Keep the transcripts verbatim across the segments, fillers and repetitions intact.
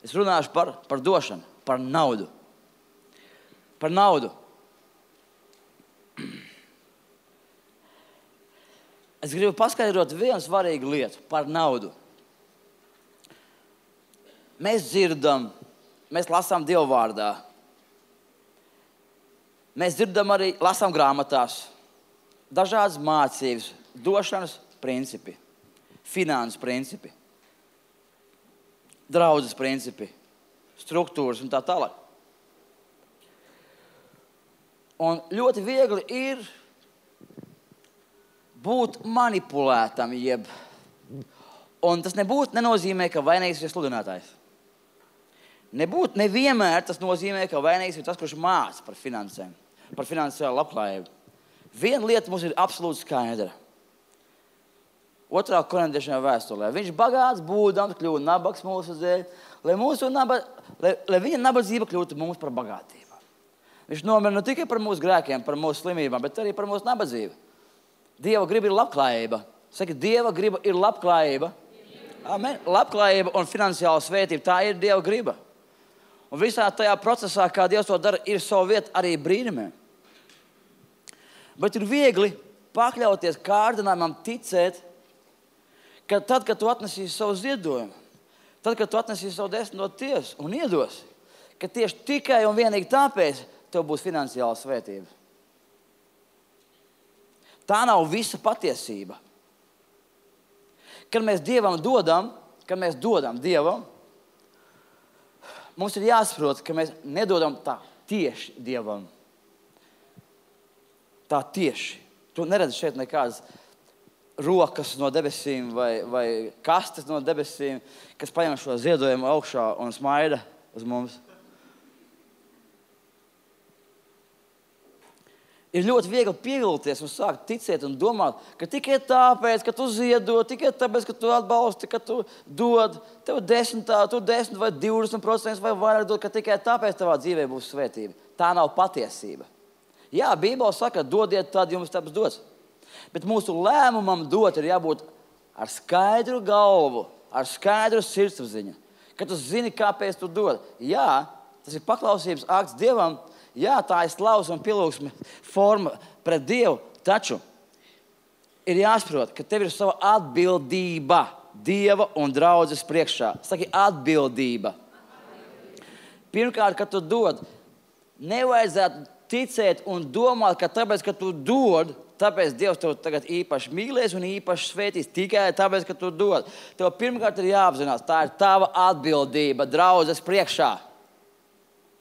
Es runāšu par, par došanu, par naudu. Par naudu. Es gribu paskaidrot vienu svarīgu lietu par naudu. Mēs dzirdam, mēs lasām Dieva vārdā. Mēs dzirdam arī, lasām grāmatās, dažādas mācības, došanas principi, finanses principi, draudzes principi, struktūras un tā tālāk. Un ļoti viegli ir būt manipulētam, jeb, un tas nebūtu nenozīmē, ka vainīgs ir sludinātājs. Nebūt nevienmēr tas nozīmē, ka vainīgs ir tas, kurš māca par finansēm, par finansiālu labklājību. Viena lieta mums ir absolūti skaidra. Otrā korintiešiem vēstulē. Viņš bagāts būdams kļūst nabags mūsu dēļ, lai, mūsu naba, lai, lai viņa nabadzība kļūtu mums par bagātību. Viņš nomira ne tikai par mūsu grēkiem, par mūsu slimībām, bet arī par mūsu nabadzību. Dieva griba ir labklājība. Saka, Dieva griba ir labklājība. Amen. Labklājība un finansiāla svētība, tā ir Dieva griba. Un visā tajā procesā, kā Dievs to dara, ir savu vietu arī brīnumiem. Bet ir viegli pakļauties kārdinājumam ticēt, ka tad, kad tu atnesīsi savu ziedojumu, tad, kad tu atnesīsi savu desmito tiesu un iedosi, ka tieši tikai un vienīgi tāpēc tev būs finansiāla svētība. Tā nav visa patiesība. Kad mēs Dievam dodam, kad mēs dodam Dievam, mums ir jāsaprot, ka mēs nedodam tā tieši Dievam. Tā tieši. Tu neredzi šeit nekādas rokas no debesīm vai, vai kastes no debesīm, kas paņem šo ziedojumu augšā un smaida uz mums. Ir ļoti viegli pievilties un sākt ticēt un domāt, ka tikai tāpēc, ka tu ziedo, tikai tāpēc, ka tu atbalsti, ka tu dod, tev desmitā, tu desmit vai divdesmit procenti vai vairāk dod, ka tikai tāpēc tavā dzīvē būs svētība. Tā nav patiesība. Jā, Bībele saka, dodiet, tad jums taps dots. Bet mūsu lēmumam dot ir jābūt ar skaidru galvu, ar skaidru sirdsapziņu. Kad tu zini, kāpēc tu dod. Jā, tas ir paklausības akts Dievam. Jā, tā ir slavas un pielūgsme forma pret Dievu, taču ir jāsaprot, ka tev ir sava atbildība Dieva un draudzes priekšā. Saki, atbildība. Pirmkārt, kad tu dod, nevajadzētu ticēt un domāt, ka tāpēc, ka tu dod, tāpēc Dievs tev tagad īpaši mīlēs un īpaši svētīs tikai tāpēc, ka tu dod. Tev pirmkārt ir jāapzinās, tā ir tava atbildība draudzes priekšā.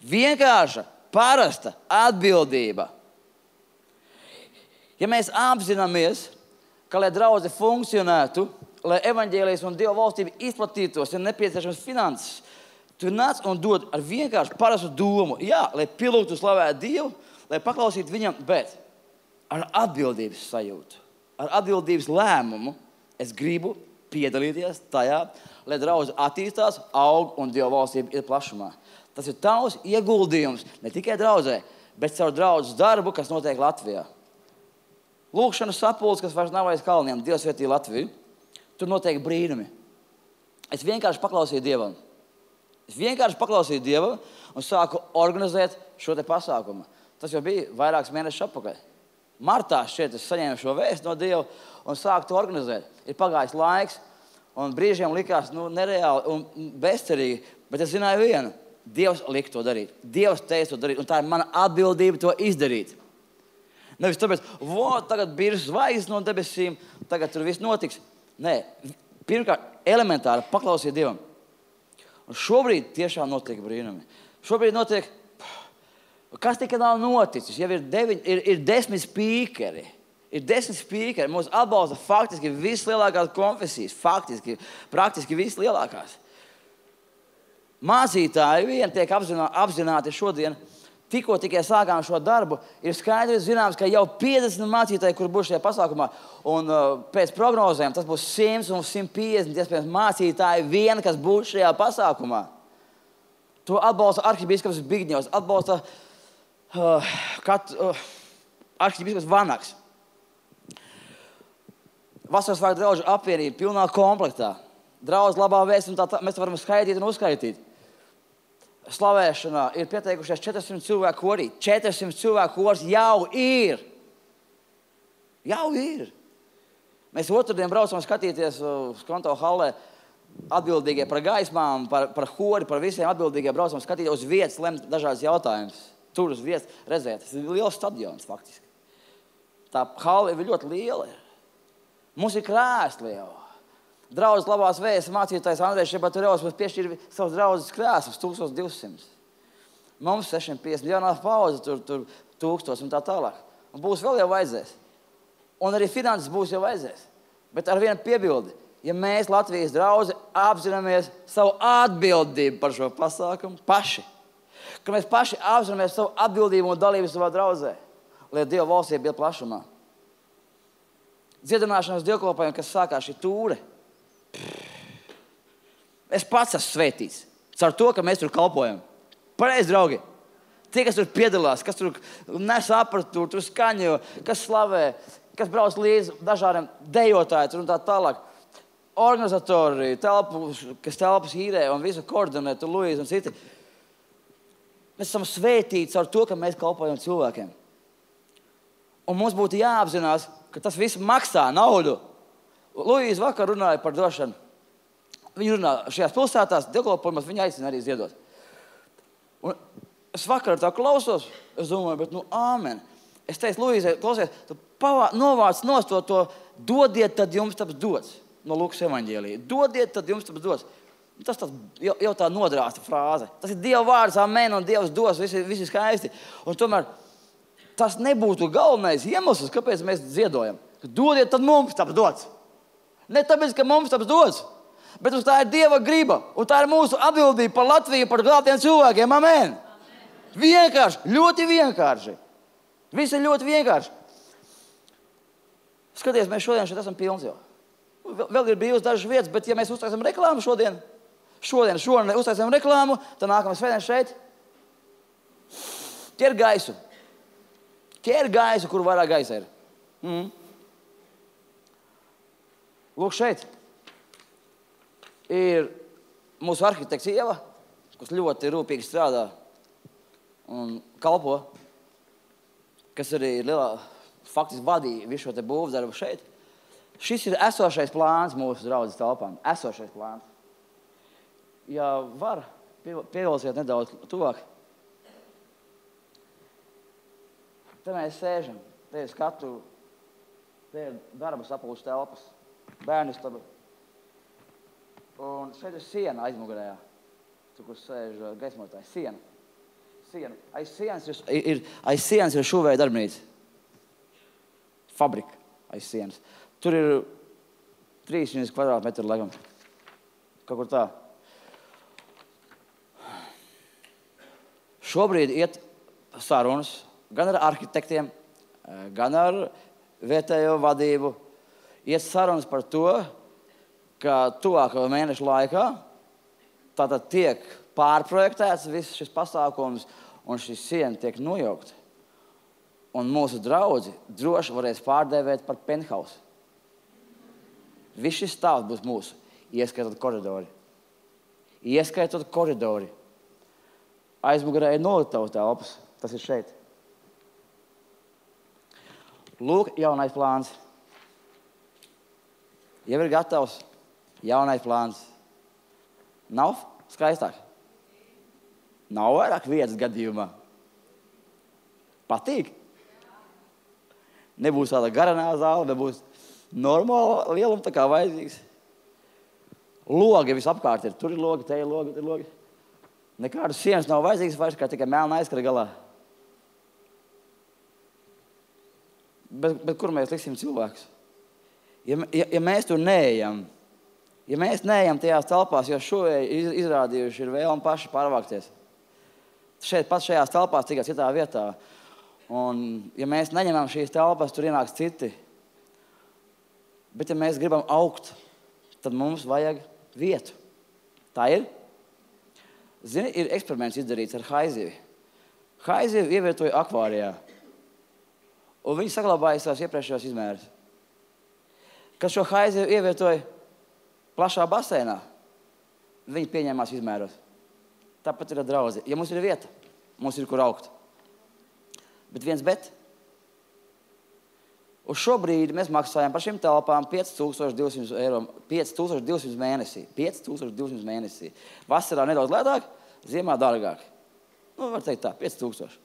Vienkārša. Parasta atbildība. Ja mēs apzināmies, ka, lai draudze funkcionētu, lai evaņģēlijas un Dieva valstība izplatītos, ir nepieciešams finanses, tu nāc un dod ar vienkārši parastu domu. Jā, lai pielūgtu slavētu Dievu, lai paklausītu viņam, bet ar atbildības sajūtu, ar atbildības lēmumu es gribu piedalīties tajā, lai draudze attīstās, aug un Dieva valstība ir plašumā. Tas ir tavs ieguldījums ne tikai draudzē, bet caur draudzes darbu, kas notiek Latvijā. Lūkšanas sapulces, kas vairs nav aiz kalniem, Dievs svētī Latviju, tur notiek brīnumi. Es vienkārši paklausīju Dievam. Es vienkārši paklausīju Dievam un sāku organizēt šo te pasākumu. Tas jau bija vairākus mēnešus atpakaļ. Martā šeit es saņēmu šo vēstu no Dieva un sāku to organizēt. Ir pagājis laiks un brīžiem likās nu, nereāli un bezcerīgi, bet es zināju vienu. Dievs lika to darīt. Dievs teica to darīt, un tā ir mana atbildība to izdarīt. Nevis tāpēc, vo, tagad bija zvaigznes no debesīm, tagad tur viss notiks. Nē, pirmkārt, elementāri paklausiet Dievam. Un šobrīd tiešām notiek brīnumi. Šobrīd notiek, kas tikai nav noticis, jau ir, deviņ, ir, ir desmit spīkeri. Ir desmit spīkeri, mūs atbalsta faktiski vislielākās konfesijas, faktiski, praktiski vislielākās. Mācītāji vien tiek apzinā, apzināti šodien, tikko tikai sākām šo darbu, ir skaidrs zināms, ka jau piecdesmit mācītāji, kur būs šajā pasākumā, un uh, pēc prognozēm tas būs simt un simt piecdesmit iespējams mācītāji vien, kas būs šajā pasākumā. To atbalsta arhibīskaps Bigņevs, atbalsta uh, kat, uh, arhibīskaps Vanaks. Vasaras svētku draugu apvienība pilnā komplektā. Draudz labā vēsts, un tā, tā mēs varam skaitīt un uzskaitīt. slavēšanā ir pieteikušies četri simti cilvēku korī. četri simti cilvēku koris jau ir. Jau ir. Mēs otrdien braucam skatīties uz Konto hallē atbildīgie par gaismām, par, par hori, par visiem atbildīgie braucam skatīties uz vietas, lemt dažādas jautājumus. Tur uz vietas redzēt. Tas ir liels stadions faktiski. Tā halle ir ļoti liela. Mums ir krēsli jau. Draudzes labās vējas mācītājs Andrejs Šebaturevs mums piešķīra savus draudzes krēslus tūkstoš divsimt. Mums sešsimt piecdesmit jaunā paudze, tur, tur tūkstoš un tā tālāk. Un būs vēl jau vajadzēs. Un arī finanses būs jau vajadzēs. Bet ar vienu piebildi. Ja mēs Latvijas draudze apzināmies savu atbildību par šo pasākumu paši, ka mēs paši apzināmies savu atbildību un dalību savā draudzē, lai Dieva valstība bija plašumā. Dziedināšanas dievkalpojumi, kas sākās šī tūre. Es pats esmu svētīts. Caur to, ka mēs tur kalpojam. Pareizi, draugi. Tie, kas tur piedalās, kas tur nes aparatūru, tur skaņo, kas slavē, kas brauc līdzi dažādiem dejotāji tur un tā tālāk. Organizatori, telpu, kas telpas īrē un visu koordinē, tur Luīza un citi. Mēs esam svētīti caur to, ka mēs kalpojam cilvēkiem. Un mums būtu jāapzinās, ka tas viss maksā naudu. Luīza vakar runāja par došanu. Viņa runā šajās pilsētās, dievkalpojumos, viņa aicina arī ziedot. Un es vakar tā klausos, es domāju, bet nu āmen. Es teicu, Luīzai, klausies, tu pavā, novāc nost to, to dodiet, tad jums taps dots. No Lukas evaņģēlija. Dodiet, tad jums taps dots. Tas tas jau, jau tā nodrāsta frāze. Tas ir Dieva vārds, amen, un Dievs dos, visi, visi skaisti. Un tomēr tas nebūtu galvenais iemesls, kāpēc mēs ziedojam. Dodiet, tad mums taps dots. Ne tāpēc, ka mums taps dots, bet tā ir Dieva griba. Un tā ir mūsu atbildība par Latviju, par glābtiem cilvēkiem, amen. Amen. Vienkārši, ļoti vienkārši. Viss ir ļoti vienkārši. Skaties, mēs šodien šeit esam pilns jau. Vēl ir bijusi dažas vietas, bet ja mēs uztaisam reklāmu šodien, šodien, šodien uztaisam reklāmu, tad nākamais svētdien šeit ķer gaisu. Ķer gaisu, kur vairāk gaisa ir. Mm. Lūk, šeit ir mūsu arhitekts Ieva, kas ļoti rūpīgi strādā un kalpo, kas arī ir lielā, faktiski vadīja visu šo te būvdarbu šeit. Šis ir esošais plāns mūsu draudzes telpām. Esošais plāns. Ja var, pievilsiet nedaudz tuvāk. Te mēs sēžam. Te ir skatu, te ir darba sapulces telpas, bērnu istaba. Un šeit ir siena aizmugurējā. Tur, kur sēž gaismotājs. Siena. Siena. Aiz sienas ir, ir, aiz sienas ir šuvēja darbnīca. Fabrika aiz sienas. Tur ir trīsdesmit kvadrātmetri, laikam. Kaut kur tā. Šobrīd iet sarunas gan ar arhitektiem, gan ar vietējo vadību. Iet sarunas par to, ka tuvāko mēnešu laikā tātad tiek pārprojektēts viss šis pasākums un šis siena tiek nojaukta. Un mūsu draudzi droši varēs pārdēvēt par penthouse. Viss šis stāvs būs mūsu, ieskaitot koridori. Ieskaitot koridori. Aizmugurē ir nolitavu telpas. Tas ir šeit. Lūk, jaunais plāns. Jau ir gatavs. Jaunais plāns. Nav skaistāk? Nav vairāk vietas gadījumā. Patīk? Nebūs tāda garanā zāle, nebūs normāla lieluma, tā kā vajadzīgs. Logi visapkārt ir. Tur ir logi, te ir logi, te ir logi. Nekādas sienas nav vajadzīgas vairs, kā tikai melna aizkara galā. Bet, bet kur mēs liksim cilvēkus? Ja, ja, ja mēs tur neejam, ja mēs neejam tajās telpās, jo šovēji izrādījuši ir vēlmi paši pārvākties. Šeit pat šajās telpās, tikai citā vietā. Un ja mēs neņemam šīs telpas, tur ienāks citi. Bet ja mēs gribam augt, tad mums vajag vietu. Tā ir? Zini, ir eksperiments izdarīts ar haizivi. Haizivi ievietoja akvārijā. Un viņi saglabāja savus iepriekšējos izmērus. Kad šo haizivi ievietoja plašā basēnā, viņi pieņēmās izmēros. tāpat ir draudze. Ja mums ir vieta, mums ir kur augt. Bet viens bet. Uz šo brīdi mēs maksājam par šīm telpām pieci tūkstoši divsimt eiro, pieci tūkstoši divsimt mēnesī. pieci tūkstoši divsimt mēnesī. Vasarā nedaudz lētāk, ziemā dārgāk. Nu, var teikt tā, pieci tūkstoši.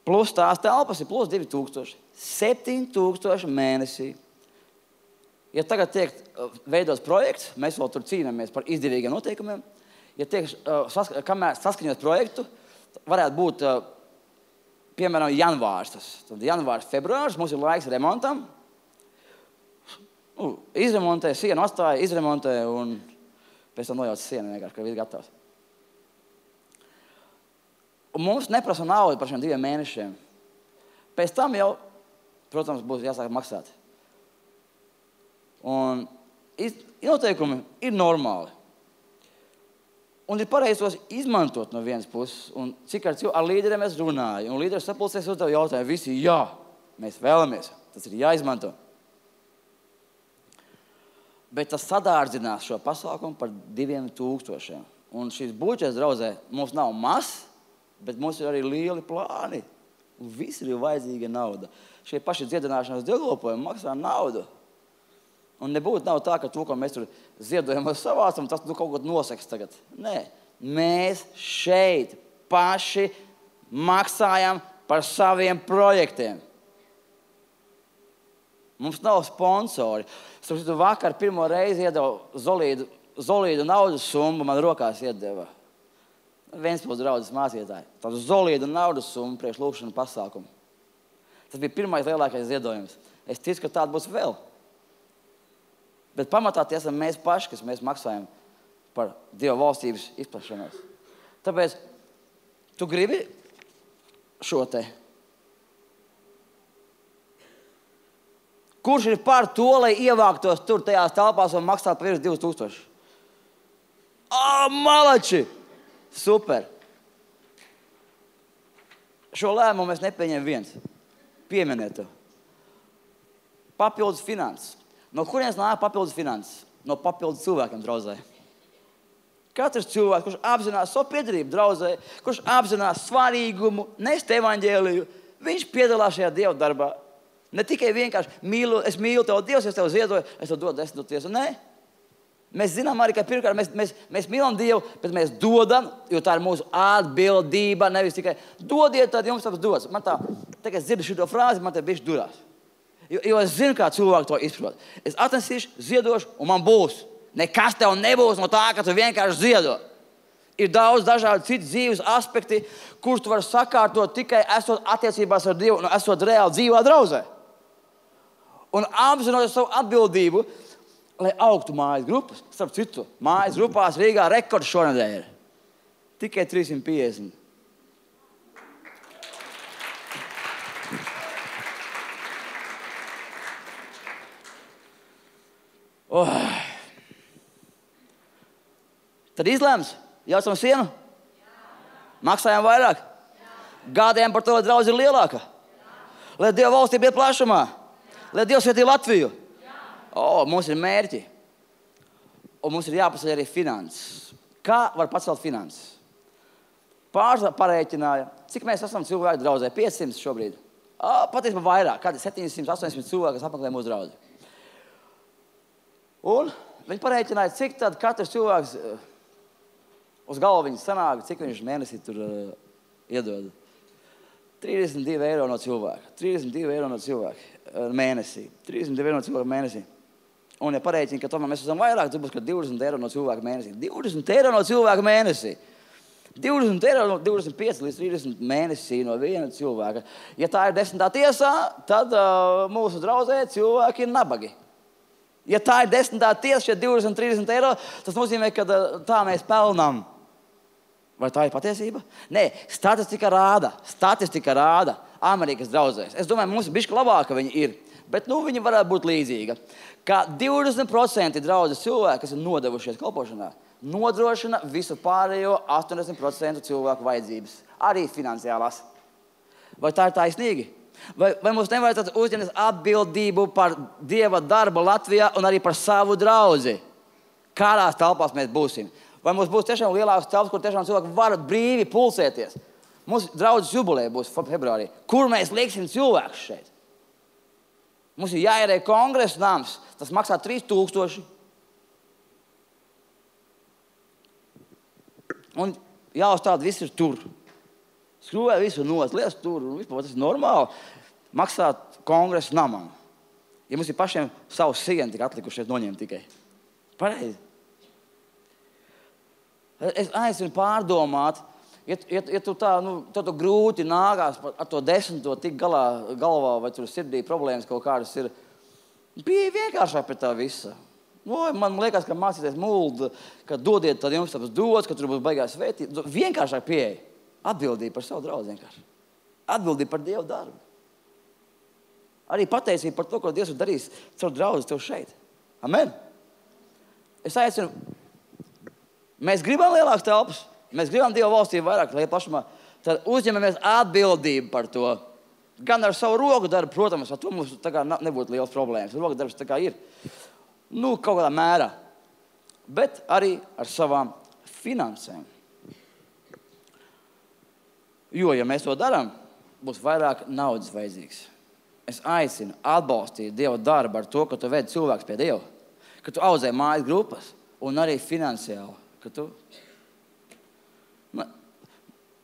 Plus tās telpas ir plus divi tūkstoši. septiņi tūkstoši mēnesī. Ja tagad tiek veidots projekts, mēs vēl tur cīnāmies par izdevīgiem noteikumiem. Ja tiek, sask kamēr saskaņot projektu, varētu būt piemēram, janvārs. Tas. Tad janvārs, februārs, mums ir laiks remontam. Nu, izremontē, sienu atstāja, izremontē un pēc tam nojauc sienu vienkārši, ka viss gatavs. Un mums neprasa naudu par šiem diviem mēnešiem. Pēc tam jau, protams, būs jāsāk maksāt. Un noteikumi ir normāli. Un ir pareizi tos izmantot no vienas puses. Un cik ar, ar līderiem es runāju. Un līderis sapulcēs uz tev jautājumu. Visi, jā, mēs vēlamies. Tas ir jāizmanto. Bet tas sadārdzinās šo pasākumu par diviem tūkstošiem. Un šīs budžets, draudzē, mums nav mazs, bet mums ir arī lieli plāni. Un visur ir vajadzīga nauda. Šie paši dziedināšanas dievkalpojumi maksā naudu. Un nebūtu nav tā, ka to, ko mēs tur ziedojam un savācam, tas nu, kaut ko noseks tagad. Nē, mēs šeit paši maksājam par saviem projektiem. Mums nav sponsori. Es vakar pirmo reizi iedevu Zolīdu, Zolīdu naudas summu, man rokās iedeva. Ventspils draudzes mācītāji. Tādu Zolīdu naudas summu priekš lūkšanu pasākumu. Tas bija pirmais lielākais ziedojums. Es ticu, ka tāda būs vēl. Bet pamatā tie esam mēs paši, kas mēs maksājam par Dieva valstības izplašanos. Tāpēc tu gribi šo te. Kurš ir par to, lai ievāktos tur tajās telpās un maksātu par virs divus tūkstošus? Ā, malači! Super! Šo lēmumu mēs nepieņem viens. Pieminiet to. Papildus finanses. No kurienes nāk papildus finanses? No papildus cilvēkiem draudzē. Katrs cilvēks, kurš apzinās savu piedarību draudzē, kurš apzinās svarīgumu, nest evaņģēliju, viņš piedalās šajā Dieva darbā. Ne tikai vienkārši mīlu, es mīlu tev Dievs, es tev ziedoju, es tev dodu desmit tiesu. Nē. Mēs zinām arī, ka pirmkārt mēs, mēs, mēs mīlam Dievu, bet mēs dodam, jo tā ir mūsu atbildība, nevis tikai dodiet, tad jums tas dots. Man tā, tagad es dzirdu šito frāzi, man te bišķi durās. Jo, jo es zinu, kā cilvēki to izprot. Es atnesīšu, ziedošu, un man būs. Nekas tev nebūs no tā, ka tu vienkārši ziedo. Ir daudz dažādu citu dzīves aspekti, kurus tu vari sakārtot tikai esot attiecībās ar Dievu un esot reāli dzīvā draudzē. Un apzinoties savu atbildību, lai augtu mājas grupas. Starp citu, mājas grupās Rīgā rekords šonedēļ ir. Tikai trīssimt piecdesmit. Oh. Tad izlēms, jaucam sienu? Maksājam vairāk? Gādējam par to, lai draudz ir lielāka? Lai Dieva valstība iet plašumā? Lai Dievs svētī Latviju? O, mums ir mērķi. Un mums ir jāpaceļ arī finanses. Kā var pacelt finanses? Pāris parēķināja, cik mēs esam cilvēki draudzē? piecsimt šobrīd. O, patiesībā vairāk, kādi septiņsimt, astoņsimt cilvēki, kas apmeklē mūsu draudzi. Un viņi parēķināja, cik tad katrs cilvēks uh, uz galvu viņas sanāk, cik viņš mēnesī tur uh, iedod. trīsdesmit divi eiro no cilvēka. trīsdesmit divi eiro no cilvēka uh, mēnesī. trīsdesmit divi eiro no cilvēka mēnesī. Un ja parēķina, ka tomēr mēs esam vairāk, tad būs, ka divdesmit eiro no cilvēka mēnesī. divdesmit eiro no cilvēka mēnesī. divdesmit eiro no divdesmit pieci līdz trīsdesmit mēnesī no viena cilvēka. Ja tā ir desmitā tiesā, tad uh, mūsu draudzē cilvēki ir nabagi. Ja tā ir desmitā tiesa, šie divdesmit, trīsdesmit eiro, tas nozīmē, ka tā mēs pelnām. Vai tā ir patiesība? Nē, statistika rāda, statistika rāda Amerikas draudzēs. Es domāju, mums bišķi labāka viņi ir, bet nu viņi varētu būt līdzīga. Ka divdesmit procenti draudzes cilvēki, kas ir nodevušies kalpošanā, nodrošina visu pārējo astoņdesmit procenti cilvēku vajadzības, arī finansiālās. Vai tā ir taisnīgi? Vai, vai mums nevajadzētu uzņemt atbildību par Dieva darbu Latvijā un arī par savu draudzi? Kādās telpās mēs būsim? Vai mums būs tiešām lielāks telpas, kur tiešām cilvēki var brīvi pulsēties? Mums draudzes jubileja būs februārī. Kur mēs lieksim cilvēkus šeit? Mums ir jāierē kongresa nams. Tas maksā trīs tūkstoši. Un jāuzstāda, viss ir tur. Skrūvē visu nos, lies tur. Vispār tas ir normāli. Maksāt kongresa namam. Ja mums ir pašiem savus sieni tik atlikušies noņemt tikai. Pareizi. Es aicinu pārdomāt, ja, ja, ja tu tā, nu, tu grūti nākās ar to desmito tik galā, galvā, vai tur sirdī problēmas kaut kādas ir, bija vienkāršāk pie tā visa. Nu, man liekas, ka mācīties muldu, ka dodiet tad jums tāpēc dots, ka tur būs baigās vētīt. Vienkāršāk pieeja. Atbildība par savu draudzi vienkārši. Atbildība par Dievu darbu. Arī pateicība par to, ko Dievs ir darījis caur draudzi tev šeit. Amen. Es aicinu, mēs gribam lielākas telpas, mēs gribam Dieva valstību vairāk, lai plašumā, tad uzņemamies atbildību par to. Gan ar savu roku darbu, protams, ar to mums tā kā nebūtu liels problēmas. Roka darbs tā kā ir, nu, kaut kādā mērā. Bet arī ar savām finansēm. Jo, ja mēs to darām, būs vairāk naudas vajadzīgs. Es aicinu atbalstīt Dieva darbu ar to, ka tu vedi cilvēks pie Dieva, ka tu audzē mājas grupas un arī finansiāli. Ka tu...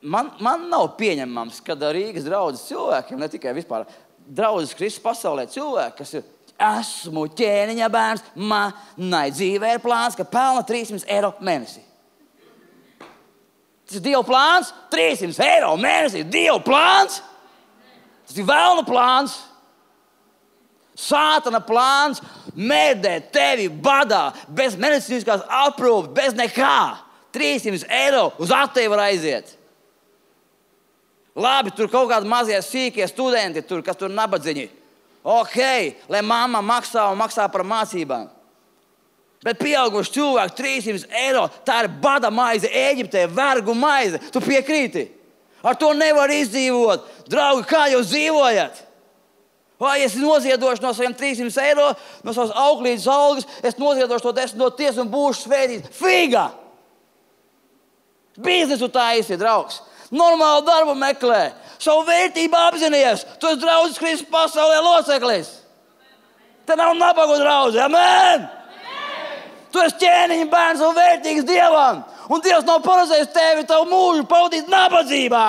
man, man nav pieņemams, ka Rīgas draudzes cilvēkiem, ne tikai vispār draudzes Kristus pasaulē cilvēki, kas ir esmu ķēniņa bērns, manai dzīvē ir plāns, ka pelna trīs simti eiro mēnesī. Tas ir Dieva plāns, trīs simti eiro mēnesī, Dieva plāns. Tas ir velna plāns. Sātana plāns mēdēt tevi badā, bez medicīniskās aprūpes, bez nekā. trīs simti eiro uz attevi var aiziet. Labi, tur kaut kādi mazie sīkie studenti, tur, kas tur nabadziņi. Ok, lai mamma maksā un maksā par mācībām. Bet pieauguši cilvēki trīs simti eiro, tā ir bada maize Ēģiptē, vergu maize. Tu piekrīti? Ar to nevar izdzīvot. Draugi, kā jūs dzīvojat? Vai es noziedošu no saviem trīs simti eiro, no savas auklītes algas, es noziedošu to desmit no tiesas un būšu svētīts. Figa! Biznesu taisi, draugs. Normālu darbu meklē. Savu vērtību apzinies. Tu esi draudzes Kristus pasaulē loceklis. Te nav nabagu draudze. Amen! Tu esi ķēniņa bērns un vērtīgs Dievam. Un Dievs nav paredzējis tevi tavu mūžu pavadīt nabadzībā.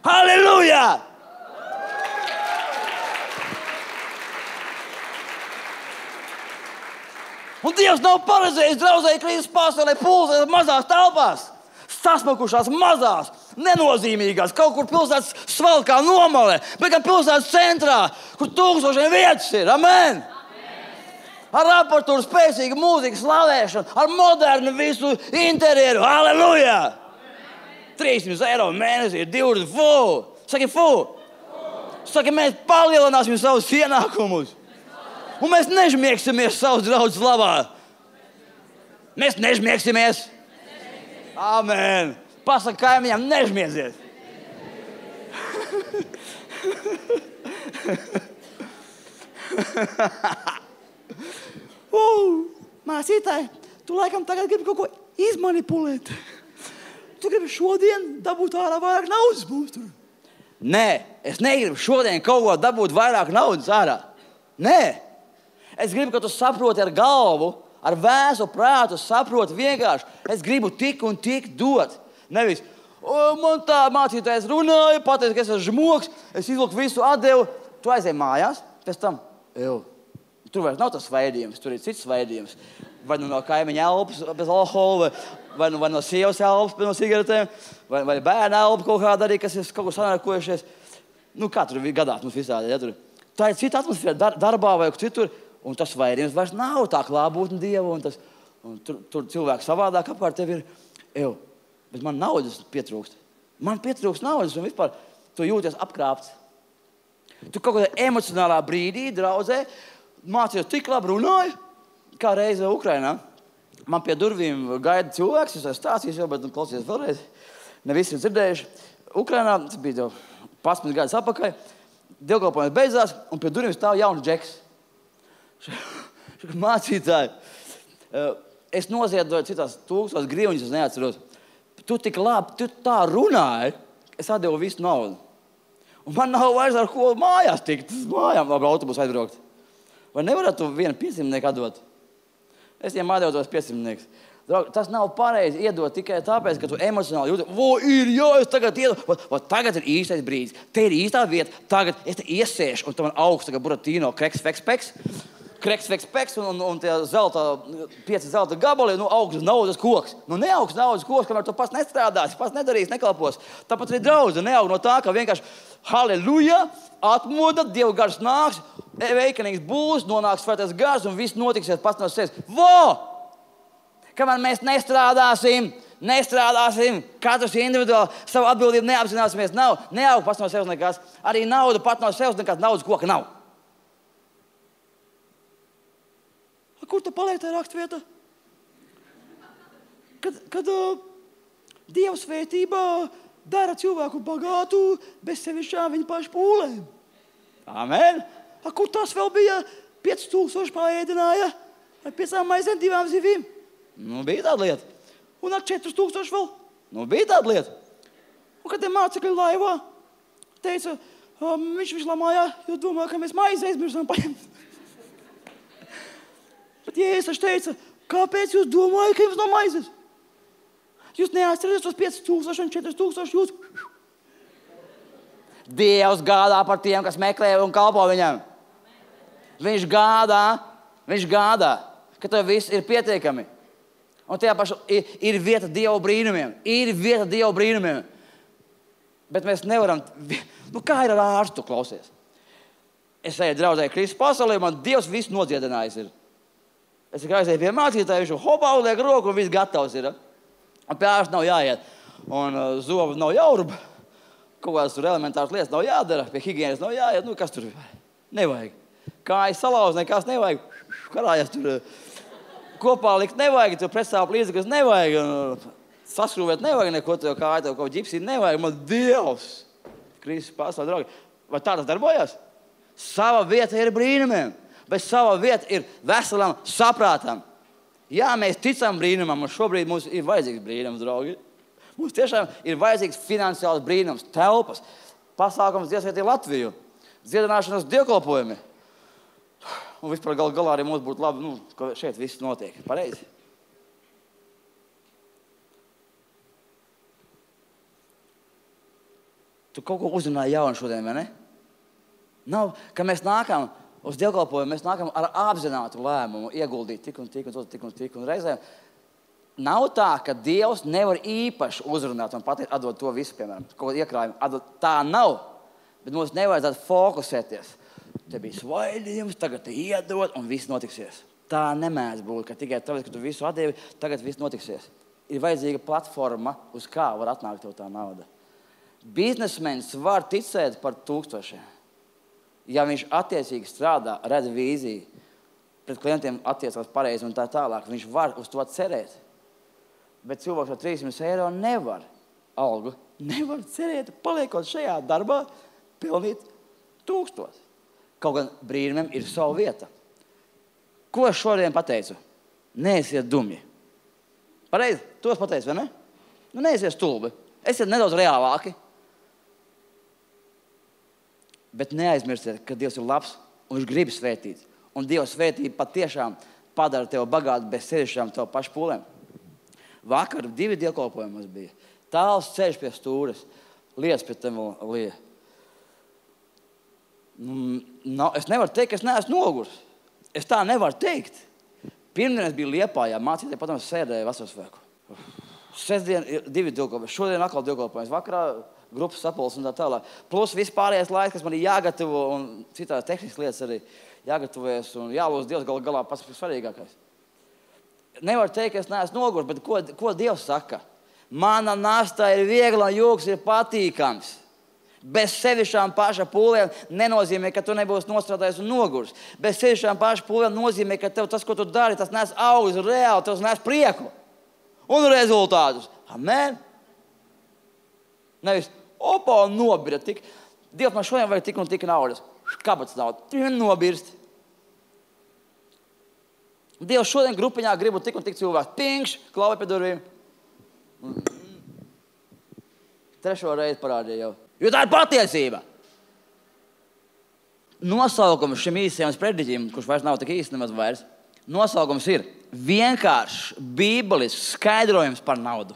Halleluja! Un Dievs nav paredzējis draudzēji Kristus pasaulē pulsēt mazās telpās. Sasmakušās mazās, nenozīmīgās, kaut kur pilsētas svalkā nomalē, bet gan pilsētas centrā, kur tūkstošiem vietas ir. Amen! Ar aparatūru, spēcīgu mūziku, slavēšanu, ar modernu visu interjeru. Halleluja! trīs simti eiro mēnesī ir divdesmit. Fu! Saki, fu! Saki, mēs palielināsim savus ienākumus. Un mēs nežmiegsimies savus draudzes labā. Mēs nežmiegsimies. Amen! Pasaka kaimiņam, nežmiedzies. uh, Māsītāji, tu laikam tagad gribi kaut ko izmanipulēt. Tu gribi šodien dabūt ārā vairāk naudas būs tur. Nē, es negribu šodien kaut ko dabūt vairāk naudas ārā. Nē. Es gribu, ka tu saproti ar galvu, ar vēsu prātu, saproti vienkārši. Es gribu tik un tik dot. Nevis, o, man tā mācītājs runāja, pateica, ka es esmu žmoks, es izlūku visu atdevu. Tu aizēji mājās, pēc tam, ew, tur vairs nav tas svaidījums, tur ir cits svaidījums. Vai nu no kaimiņa elpas bez alkohola, vai, vai, nu, vai no sievas elpas bez no cigaretēm, vai, vai bērna elpa kaut kāda arī, kas ir kaut ko sanākojušies. Nu, kā tur gadās mums visādi, ja tur. Tā ir cita atmosfēra dar, darbā vai citur. Un tas vairījums vairs nav tā klātbūtne Dieva, un, tas, un tur, tur cilvēki savādāk apkārt tev ir. Ew, bet man naudas pietrūkst. Man pietrūkst naudas, un vispār tu jūties apkrāpts. Tu kaut kādā emocionālā brīdī, draudzē, mācījos tik labi runāju, kā reize Ukrainā. Man pie durvīm gaida cilvēks, es esmu stāstījis jau, bet nu, klausies vēlreiz. Ne visi ir dzirdējuši. Ukrainā, tas bija jau padsmit gadus atpakaļ, dievkalpojums beidzās, un pie durvīm stāv jauns džeks. Mācītāji, es noziedoju citās tūkstošos grivņus, es neatceros. Tu tik labi, tu tā runāji, es atdevu visu naudu. Un man nav vairs ar ko mājās tikt, mājām labi autobusu aizbraukt. Vai nevarētu tu vienu piecimtnieku atdot? Es viņiem atdevu tos piecimtniekus. Draugi, tas nav pareizi iedot tikai tāpēc, ka tu emocionāli jūti, vo, ir, jā, es tagad iedodu, va, va, tagad ir īstais brīdis, te ir īstā vieta, tagad es te iesēšu, un tu man augsts, tagad Buratino, kreks, feks, peks, kreks, feks, peks, un, un, un tie zelta, pieci zelta gabali, nu, augsts naudas koks. Nu, neaugsts naudas koks, kamēr tu pats nestrādāsi, pats nedarīsi, nekalpos. Tāpat arī draudze neaug no tā, ka vienkārši, halleluja, atmoda, Dievu gars nāks, veikanīgs būs, nonāks svētais gars, un viss notiksies pats no sevis. Vo! Kamēr mēs nestrādāsim, nestrādāsim, katrs individuāli savu atbildību neapzināsimies, nav, neaug pats no sevis nekas. Arī nauda pat no sevis nekas, naudas koka nav. A, kur te paliek tā rakstvieta? Kad, kad uh, Dieva svētība dara cilvēku bagātu bez sevišķām viņa pašu pūlēm. Amen. A, kur tas vēl bija? pieci tūkstoši paēdināja ar piecām maizēm, divām zivīm. Nu, bija tāda lieta. Un ar četrus tūkstoši vēl. Nu, bija tāda lieta. Un kad tie mācekļi laivā teica, um, viņš viņš lamājā, jo domā, ka mēs maizi aizmirsām paņemt. Bet Jēzus teica, kāpēc jūs domājat, ka jums nav maizes? Jūs neatceraties tos pieci tūkstoši un četri tūkstoši jūs. Dievs gādā par tiem, kas meklē un kalpo viņam. Viņš gādā, viņš gādā, ka tev viss ir pietiekami. Un tajā pašā ir, ir vieta Dieva brīnumiem. Ir vieta Dieva brīnumiem. Bet mēs nevaram... Nu, kā ir ar ārstu, klausies? Es eju draudzēju Kristus pasaulē, man Dievs visu nodziedinājis ir. Es tikai aizēju pie mācītāja, viņš hopā uliek roku un viss gatavs ir. Un pie ārsta nav jāiet. Un uh, zobu nav jāurba. Kaut kādas tur elementāras lietas nav jādara. Pie higienas nav jāiet. Nu, kas tur nevajag? Kājas salauz, nekas nevajag. Karājas tur... Uh, Kopā likt nevajag, tev pretsāpu līdzekļus nevajag, saskrūvēt nevajag neko, tev kāja, tev kaut ģipsī nevajag. Man Dievs, Kristus pasaulē, draugi, vai tā tas darbojas? Sava vieta ir brīnumiem, bet sava vieta ir veselam saprātam. Jā, mēs ticam brīnumam, un šobrīd mums ir vajadzīgs brīnums, draugi. Mums tiešām ir vajadzīgs finansiāls brīnums, telpas, pasākums Dievs svētī Latviju, dziedināšanas dievkalpojumi. Un vispār gal galā arī mums būtu labi, nu, ka šeit viss notiek. Pareizi? Tu kaut ko uzrunāji jaunu šodien, vai ne? Nav, ka mēs nākam uz dievkalpojumu, mēs nākam ar apzinātu lēmumu ieguldīt tik un tik un tik un tik un reizēm. Nav tā, ka Dievs nevar īpaši uzrunāt un pateikt, atdot to visu, piemēram, kaut ko iekrājumu. Atdot, tā nav, bet mums nevajadzētu fokusēties. Te bija svaidījums, tagad te iedod un viss notiksies. Tā nemēdz būt, ka tikai tāpēc, ka tu visu atdevi, tagad viss notiksies. Ir vajadzīga platforma, uz kā var atnākt tev tā nauda. Biznesmenis var ticēt par tūkstošiem. Ja viņš attiecīgi strādā, redz vīziju, pret klientiem attiecās pareizi un tā tālāk, viņš var uz to cerēt. Bet cilvēks ar trīsimt eiro nevar algu, nevar cerēt, paliekot šajā darbā, pelnīt tūkstoši. Kaut gan brīnumiem ir sava vieta. Ko es šodien pateicu? Neesiet dumji. Pareizi? To es pateicu, vai ne? Nu, neesiet stulbi. Esiet nedaudz reālāki. Bet neaizmirstiet, ka Dievs ir labs un viņš grib svētīt. Un Dieva svētība patiešām padara tevi bagātu bez sevišķām tev pašu pūlēm. Vakar divi dievkalpojumi mums bija. Tāls ceļš pie stūres. Lietas pie tev lieja. No, es nevaru teikt, ka es neesmu nogurs. Es tā nevaru teikt. Pirmdien es biju Liepājā, mācītāji, patam sēdēju vasaras svēku. Sestdien ir divi dievkalpojumi. Šodien atkal dievkalpojums. Vakarā grupas sapulces un tā tālāk. Plus viss pārējais laiks, kas man ir jāgatavo un citās tehniskas lietas arī jāgatavojas un jālūdz Dievs gal galā pats svarīgākais. Nevar teikt, ka es neesmu nogurs, bet ko, ko Dievs saka? Mana nasta ir viegla un jūks ir patīkams. Bez sevišķām paša pūlēm nenozīmē, ka tu nebūsi nostrādājis un nogurs. Bez sevišķām paša pūlēm nozīmē, ka tev tas, ko tu dari, tas nes augļus reāli, tas nes prieku un rezultātus. Amen. Nevis, opa, nobira tik. Dievs, man šodien vajag tik un tik naudas. Kāpēc naudas? Tu vien nobirst. Dievs šodien grupiņā gribu tik un tik cilvēku. Pingš, klauvi pie durvīm. Trešo reizi parādīja jau. Jo tā ir patiesība. Nosaukums šim īsajam sprediķim, kurš vairs nav tik īsti nemaz vairs, nosaukums ir vienkāršs bībelisks skaidrojums par naudu.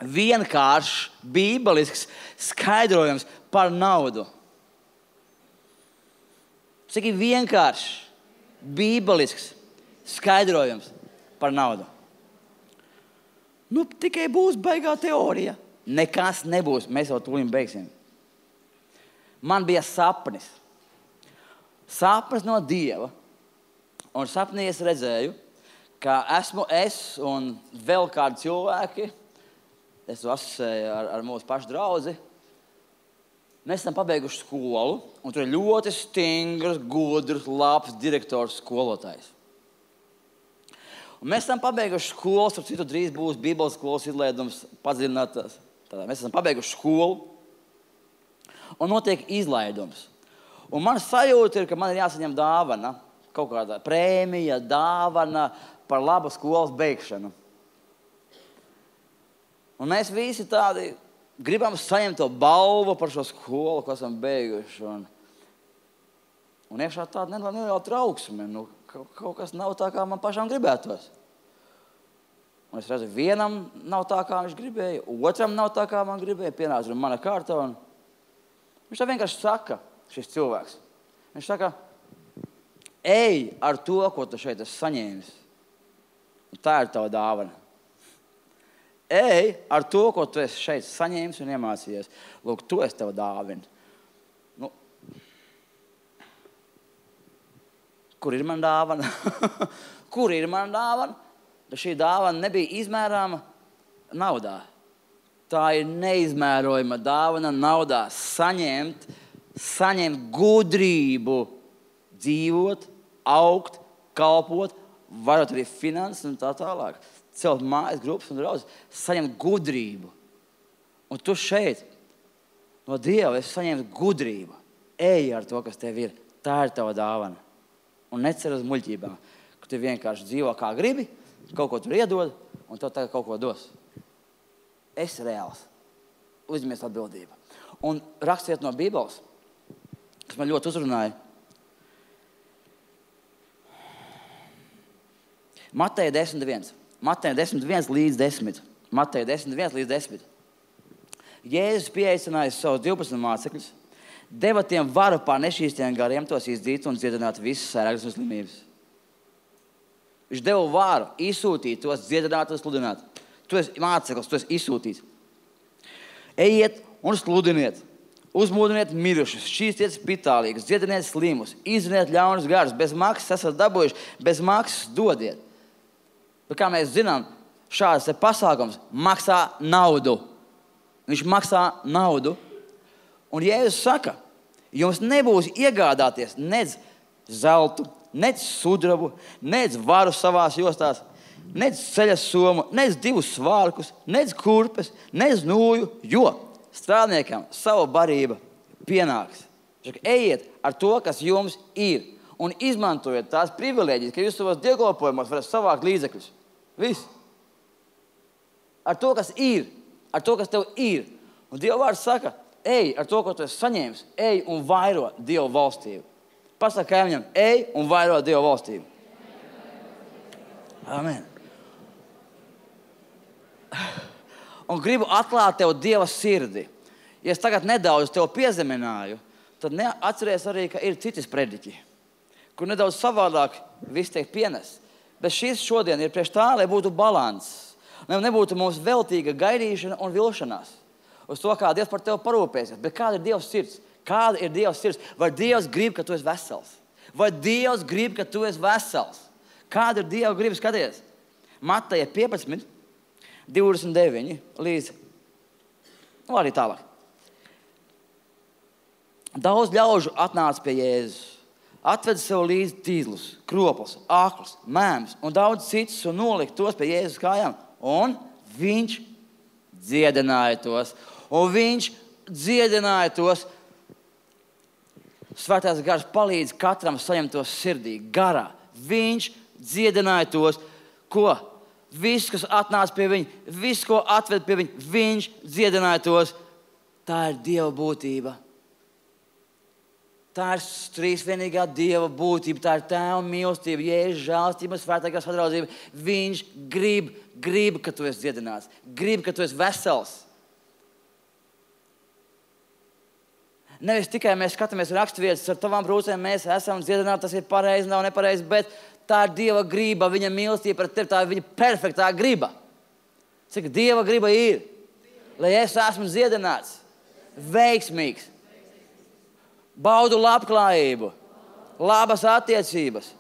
Vienkāršs bībelisks skaidrojums par naudu. Cik ir vienkāršs bībelisks skaidrojums par naudu. Nu, tikai būs baigā teorija. Nekas nebūs. Mēs jau tūlīt beigsim. Man bija sapnis. Sapnis no Dieva. Un sapnī es redzēju, ka esmu es un vēl kādi cilvēki, es to asociēju ar, ar mūsu pašu draudzi, mēs esam pabeiguši skolu, un tur ir ļoti stingrs, gudrs, labs direktors skolotājs. Un mēs esam pabeiguši skolu, ar citu drīz būs Bībeles skolas izlaidums padziļinātās. Tātad mēs esam pabeiguši skolu, un notiek izlaidums. Un man sajūta ir, ka man ir jāsaņem dāvana, kaut kāda prēmija, dāvana par labu skolas beigšanu. Un mēs visi tādi gribam saņemt to balvu par šo skolu, ko esam beiguši. Un, un iekšā tāda neliela trauksme. Nu, kaut kas nav tā, kā man pašām gribētos. Un es redzu, vienam nav tā, kā viņš gribēja, otram nav tā, kā man gribēja, pienāca mana kārta. Un viņš tā vienkārši saka, šis cilvēks. Viņš saka, ej ar to, ko tu šeit esi saņēmis. Un tā ir tava dāvana. Ej ar to, ko tu esi šeit saņēmis un iemācījies. Lūk, to es tev dāvinu. Nu, kur ir man dāvana? Kur ir man dāvana? Šī dāvana nebija izmērāma naudā. Tā ir neizmērojama dāvana naudā. Saņemt, saņemt gudrību, dzīvot, augt, kalpot, varot arī finanses un tā tālāk. Celt mājas grupas un draudzes, saņemt gudrību. Un tu šeit no Dieva esi saņemt gudrību. Ej ar to, kas tev ir. Tā ir tava dāvana. Un necer uz muļķībām, ka tu vienkārši dzīvo kā gribi, kaut ko tur iedod, un tev tagad kaut ko dos. Esi reāls. Uzņemies atbildību. Un rakstiet no Bībeles, kas man ļoti uzrunāja. Mateja desmit viens. Mateja desmit viens līdz desmit. Mateja desmit viens līdz desmit. Jēzus pieaicināja savus divpadsmit mācekļus, deva tiem varu pār nešķīstiem gariem, tos izdzīt un dziedināt visas sērgas un slimības. Viņš deva varu izsūtīt tos, dziedināt un sludināt. Tu esi māceklis, tu esi izsūtīts. Ejiet un sludiniet. Uzmūdiniet mirušus, šķīstiet spitālīgus, dziediniet slimus, izdziniet ļaunus garus, bez maksas esat dabūjuši, bez maksas dodiet. Bet kā mēs zinām, šāds pasākums maksā naudu. Viņš maksā naudu. Un Jēzus saka, jums nebūs iegādāties nec zeltu, nec sudrabu, nec varu savās jostās, nec ceļas somu, nec divus svārkus, nec kurpes, nec nūju, jo strādniekam savu barība pienāks. Saka, ejiet ar to, kas jums ir, un izmantojiet tās privilēģijas, ka jūs savos dievkalpojumos varat savākt līdzekļus. Viss. Ar to, kas ir, ar to, kas tev ir. Un Dieva vārds saka, ej ar to, ko tu esi saņēmis, ej un vairo Dieva valstību. Pasaka kaimiņam, ej un vairo Dieva valstību. Amen. Un gribu atklāt tev Dieva sirdi. Ja es tagad nedaudz tev piezemināju, tad atceries arī, ka ir citi sprediķi, kur nedaudz savādāk viss tiek pienests. Bet šis šodien ir priekš tā, lai būtu balans. Lai nebūtu mums veltīga gaidīšana un vilšanās. Uz to, kā Dievs par tevi parūpēsies. Bet kāda ir Dieva sirds? Kāda ir Dieva sirds? Vai Dievs grib, ka tu esi vesels? Vai Dievs grib, ka tu esi vesels? Kāda ir Dieva griba? Skaties. Mateja piecpadsmit, divdesmit deviņi līdz, nu arī tālāk. Daudz ļaužu atnāca pie Jēzus. Atveda sev līdzi tīzlus, kropus, āklus, mēmus un daudz citus un nolika tos pie Jēzus kājām. Un viņš dziedināja tos. Un viņš dziedināja tos. Svētais gars palīdz katram saņemt to sirdī, garā. Viņš dziedināja tos, ko? Viss, kas atnāca pie viņa, viss, ko atved pie viņa, viņš dziedināja tos. Tā ir Dieva būtība. Tā ir trīsvienīgā Dieva būtība, tā ir Tēva mīlestība, Jēzus žēlastība, svētākā sadraudzība. Viņš grib, grib, ka tu esi dziedināts, grib, ka tu esi vesels. Nevis tikai mēs skatāmies raksturvietas, ar tavām brūcēm mēs esam dziedināti, tas ir pareizi, nav nepareizi, bet tā ir Dieva griba, viņa mīlestība pret tevi, tā ir viņa perfektā griba. Cik Dieva griba ir, lai es esmu dziedināts, veiksmīgs, baudu labklājību, labas attiecības,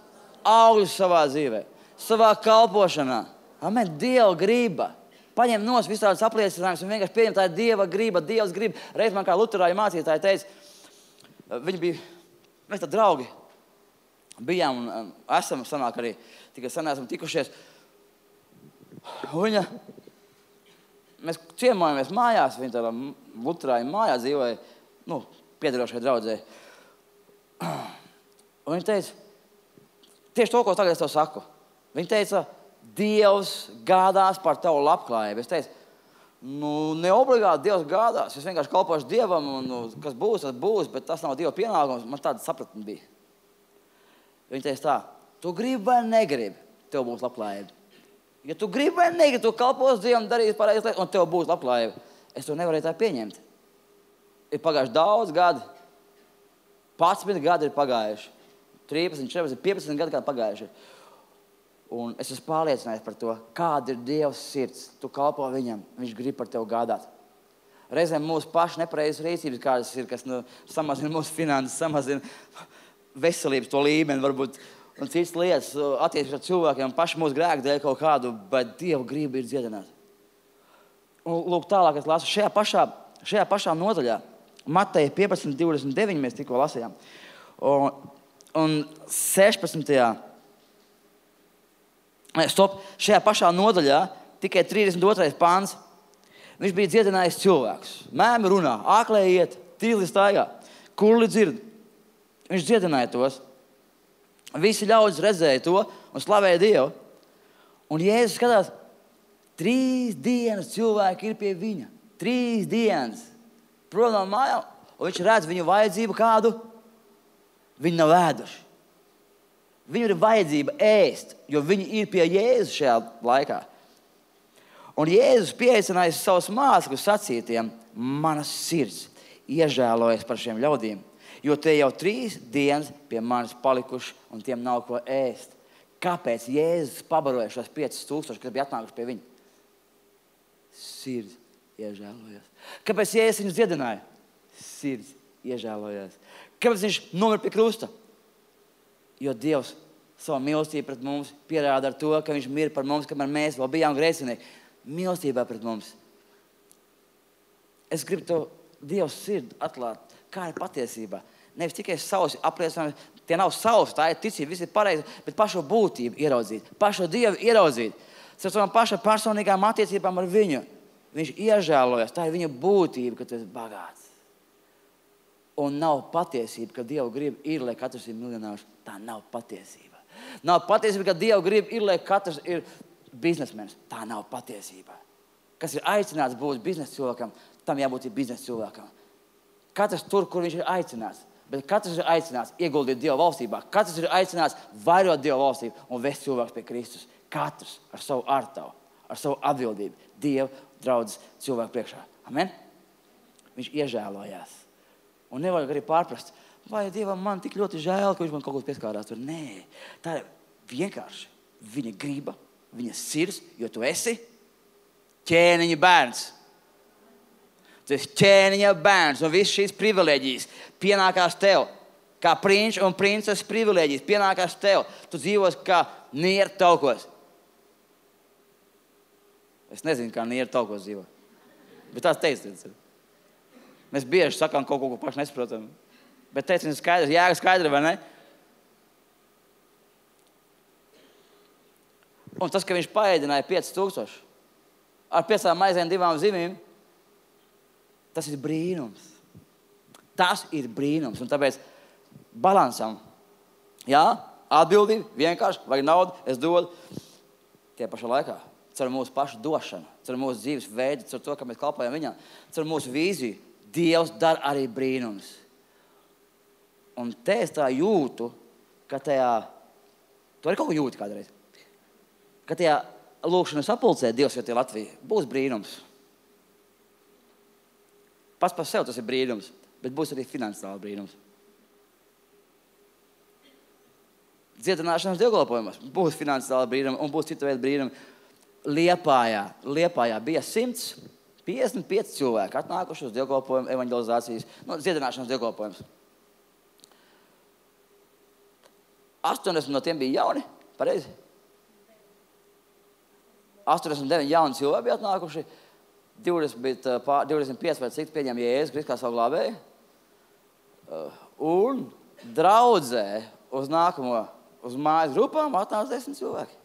augļus savā dzīvē, savā kalpošanā. Amen, Dieva griba. Paņem nos visādus apliecinājumus un vienkārši pieņem, tā ir Dieva griba, Dievs grib. Reiz man kā luterāju mācītāji teica, viņi bija, mēs tā draugi bijām un esam sanāk arī, tikai sen esam tikušies. Viņa, mēs ciemojamies mājās, viņa tādā luterāju mājā dzīvoja, nu, piederošai draudzē. Un viņa teica, tieši to, ko tagad es tev saku. Viņa teica, Dievs gādās par tavu labklājību. Es teicu, nu, ne obligāti Dievs gādās. Es vienkārši kalpošu Dievam, un nu, kas būs, tas būs, bet tas nav Dieva pienākums. Man tāda sapratne bija. Viņa teica tā, tu gribi vai negribi, tev būs labklājība. Ja tu gribi vai negribi, tu kalpos Dievam, darīsi pareizi lietas, un tev būs labklājība. Es to nevarēju tā pieņemt. Ir pagājuši daudz gadi. padsmit gadi ir pagājuši. trīspadsmit, četrpadsmit, piecpadsmit gadi kā pagājuši. Un es esmu pārliecinājies par to, kāda ir Dieva sirds. Tu kalpo viņam, viņš grib par tevi gādāt. Reizēm mūsu paši nepareizas rīcības, kādas ir, kas nu, samazina mūsu finanses, samazina veselības to līmeni, varbūt, un citas lietas attiecības ar cilvēkiem, paši mūsu grēku dēļ kaut kādu, bet Dieva griba ir dziedināt. Un lūk, tālāk es lasu šajā pašā, šajā pašā nodaļā, Mateja piecpadsmit, divdesmit deviņi mēs tikko lasījām, un, un sešpadsmitajā Stop, šajā pašā nodaļā, tikai trīsdesmit otrais pāns, viņš bija dziedinājis cilvēkus. Mēmi runā, āklē iet, tīli staigā, kurli dzird. Viņš dziedināja tos. Visi ļaudis redzēja to un slavēja Dievu. Un Jēzus skatās, trīs dienas cilvēki ir pie viņa. Trīs dienas. Prom no mājām, un viņš redz viņu vajadzību kādu. Viņi nav ēduši. Viņu ir vajadzība ēst, jo viņi ir pie Jēzus šajā laikā. Un Jēzus pieaicināja savus mācekļus sacītiem, manas sirds iežēlojas par šiem ļaudīm, jo tie jau trīs dienas pie manis palikuši un tiem nav ko ēst. Kāpēc Jēzus pabaroja šos piecus tūkstošus, kas bija atnākuši pie viņa? Sirds iežēlojas. Kāpēc Jēzus viņus dziedināja? Sirds iežēlojas. Kāpēc viņš nomira pie krusta? Jo Dievs savu mīlestību pret mums pierāda ar to, ka viņš mir par mums, kamēr mēs vēl bijām grēcinieki. Mīlestībā pret mums. Es gribu to Dievs sirdi atklāt, kā ir patiesībā. Nevis tikai savus apliecinājumi, tie nav savus, tā ir ticība, viss ir pareizi, bet pašu būtību ieraudzīt, pašu Dievu ieraudzīt. Ar savām paša personīgām attiecībām ar viņu. Viņš iežēlojas, tā ir viņa būtība, ka tu esi bagāts. Un nav patiesība, ka Dieva grib ir, lai katrs ir miljonārs. Tā nav patiesība. Nav patiesība, ka Dieva grib ir, lai katrs ir biznesmenis. Tā nav patiesība. Kas ir aicināts būt biznesa cilvēkam, tam jābūt ir biznesa cilvēkam. Katrs tur, kur viņš ir aicināts. Bet katrs ir aicināts ieguldīt Dieva valstībā. Katrs ir aicināts vairot Dieva valstību un vest cilvēks pie Kristus. Katrs ar savu ārtavu, ar savu atbildību. Dieva draudzes cilvēku priekšā. Amen? Viņš iežēlojās. Un nevajag arī pārprast, vai Dievam man tik ļoti žēl, ka viņš man kaut ko pieskārās. Tur. Nē, tā ir vienkārši viņa griba, viņa sirds, jo tu esi ķēniņa bērns. Tu esi ķēniņa bērns, un viss šīs privileģijas pienākās tev. Kā prinčs un princeses privileģijas pienākās tev. Tu dzīvos kā nieru taukos. Es nezinu, kā nieru taukos dzīvo. Bet tās teicis. Mēs bieži sakām kaut ko, ko paši nesaprotam. Bet teicins skaidrs, jēga skaidra, vai ne? Un tas, ka viņš paēdināja piecus tūkstošus ar piecām maizēm divām zivīm, tas ir brīnums. Tas ir brīnums. Un tāpēc balansam, jā, Atbildība, vienkārši, vajag naudu, es dodu. Tie pašā laikā, caur mūsu pašu došanu, caur mūsu dzīves veidu, caur to, ka mēs kalpojam viņam, caur mūsu vīziju, Dievs dara arī brīnums. Un te es tā jūtu, ka tajā, tu arī kaut ko jūti kādreiz, ka tajā lūkšanas sapulcē Dievs jau tie Latvija, būs brīnums. Pats par sev tas ir brīnums, bet būs arī finansiāli brīnums. Dziedināšanas dievkalpojumos būs finansiāli brīnumi un būs cita veida brīnumi. Liepājā, Liepājā bija simts piecdesmit pieci cilvēki atnākuši uz dievkalpojumu evanģelizācijas, nu, dziedināšanas dievkalpojumus. astoņdesmit no tiem bija jauni, pareizi? astoņdesmit deviņi jauni cilvēki bija atnākuši, divdesmit, divdesmit pieci vai cik pieņem Jēzus Kristus kā savu glābēju. Un draudzē uz nākamo, uz mājas grupām atnāca desmit cilvēki.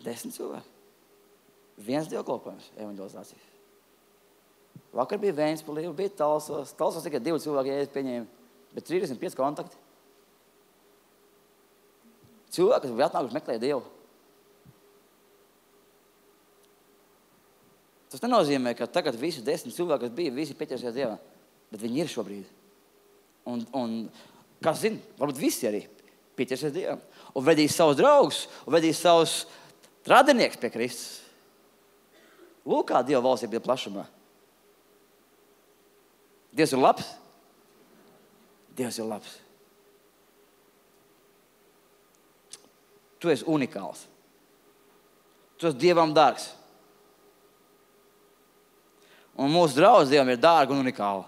Desmit cilvēki. Viens dievkalpojums evanģelizācijas. Vakar bija Vēnspilī, bija Talsos. Talsos tikai divi cilvēki, ja es pieņēmu, bet trīsdesmit pieci kontakti. Cilvēki, kas bija atnākuši meklēt Dievu. Tas nenozīmē, ka tagad visi desmit cilvēki, kas bija, visi pieķersies Dievam. Bet viņi ir šobrīd. Un, un kas zina, varbūt visi arī pieķersies Dievam. Un vedīs savus draugus, un vedīs savus radinieks pie Kristus. Lūk, kā Dieva valstība ir plašumā. Dievs ir labs. Dievs ir labs. Tu esi unikāls. Tu esi Dievam dārgs. Un mūsu draudz Dievam ir dārga un unikāla.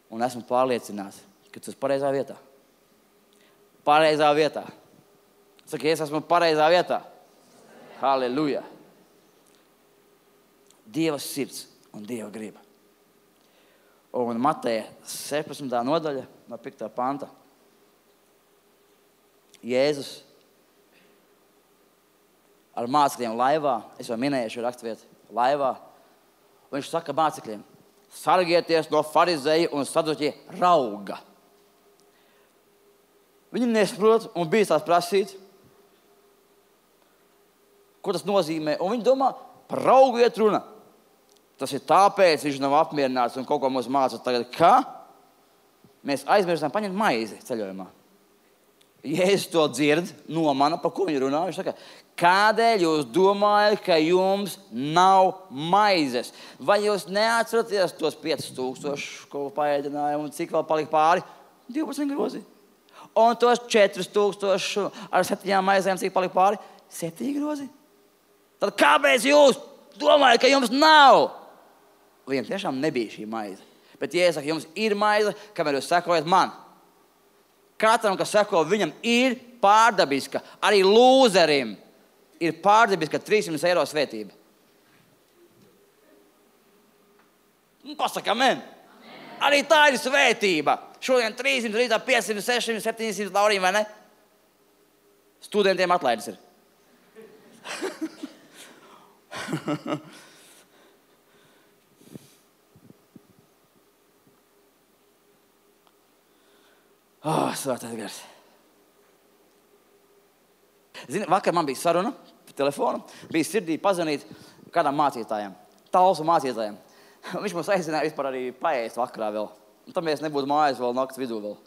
Un esmu pārliecināts, ka tu esi pareizā vietā. Pareizā vietā. Saki, es esmu pareizā vietā. Halleluja. Dieva sirds un Dieva griba. Un Mateja sešpadsmitā nodaļa no piektā panta. Jēzus ar mācekļiem laivā, es jau minēju šo raksturvietu, laivā, un viņš saka mācekļiem, sargieties no farizeju un saduķie rauga. Viņi nesaprot un bīstās prasīt, ko tas nozīmē, un viņi domā, par raugu iet runa. Tas ir tāpēc, viņš nav apmierināts un kaut ko mums māca tagad, ka mēs aizmirstam paņemt maizi ceļojumā. Jēzus to dzird, nomana, par ko viņi runā. Viņš saka, kādēļ jūs domājat, ka jums nav maizes? Vai jūs neatceraties tos piecus tūkstošus, ko paēdinājumu, un cik vēl palika pāri? divpadsmit grozi. Un tos četrus tūkstošus ar septiņām maizēm, cik palika pāri? septiņi grozi. Tad kāpēc jūs domājat, ka jums nav? Viņam tiešām nebija šī maize. Bet Jēzus saka, jums ir maize, kamēr jūs sekojat man. Katram, kas seko viņam, ir pārdabiska. Arī lūzerim ir pārdabiska trīssimt eiro svētība. Nu, pasaka, amen. Amen. Arī tā ir svētība. Šodien trīssimt, rītā piecsimt, sešsimt, septiņsimt laurīm, vai ne? Studentiem atlaides ir. Oh, svētais gars. Zini, vakar man bija saruna pa telefonu. Bija sirdī pazvanīt kādam mācītājiem. Talsu mācītājiem. Viņš mums aizināja vispār arī paēst vakarā vēl. Un tam mēs nebūtu mājas vēl nakts vidū vēl.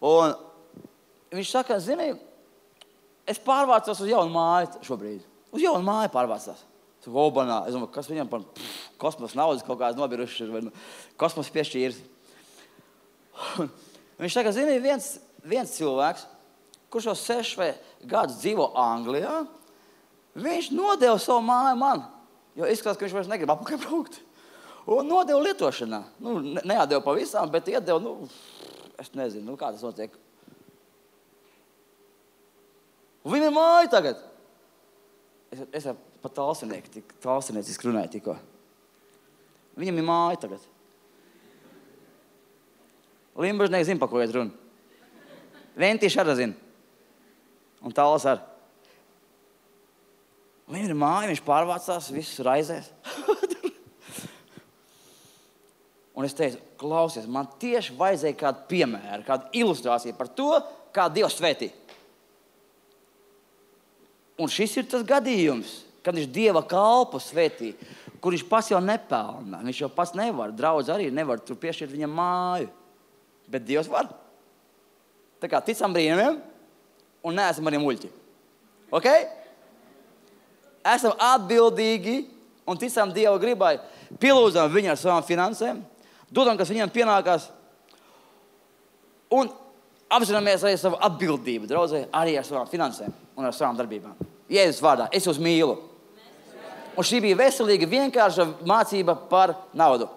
Un viņš saka, zini, es pārvācos uz jaunu māju šobrīd. Uz jaunu māju pārvācās. Obanā. Es domāju, kas viņam par pff, kosmos naudas kaut kāds nobiruši vai nu, kosmos piešķīrs. Viņš saka, zini, viens, viens cilvēks, kurš jau seši vai gadus dzīvo Anglijā, viņš nodeva savu māju man, jo izskatās, ka viņš vairs negrib apakaļ braukt. Un nodeva lietošanā. Nu, ne, neatdeva pavisam, bet iedeva, nu, es nezinu, nu, kā tas notiek. Un viņam ir māja tagad. Es, es ar pa talsinieku, talsinieciski runāju tikko. Viņam ir māja tagad. Limbažnieki zina, pa ko iet runa. Ventīši arī zina. Un Tāls arī. Viņam ir māja, viņš pārvācās, visus raizēs. Un es teicu, klausies, man tieši vajadzēja kādu piemēru, kādu ilustrāciju par to, kā Dievs svētī. Un šis ir tas gadījums, kad viņš Dieva kalpu svētī, kur viņš pats jau nepelna. Viņš jau pats nevar, draudz arī nevar tur piešķirt viņam māju. Bet Dievs var. Tā kā ticam brīnumiem un neesam arī muļķi. Ok? Esam atbildīgi un ticam Dieva gribai. Pielūdzam viņu ar savām finansēm, dodam, kas viņam pienākās, un apzināmies arī savu atbildību, draudzē, arī ar savām finansēm un ar savām darbībām. Jēzus vārdā, es jūs mīlu. Un šī bija veselīga, vienkārša mācība par naudu.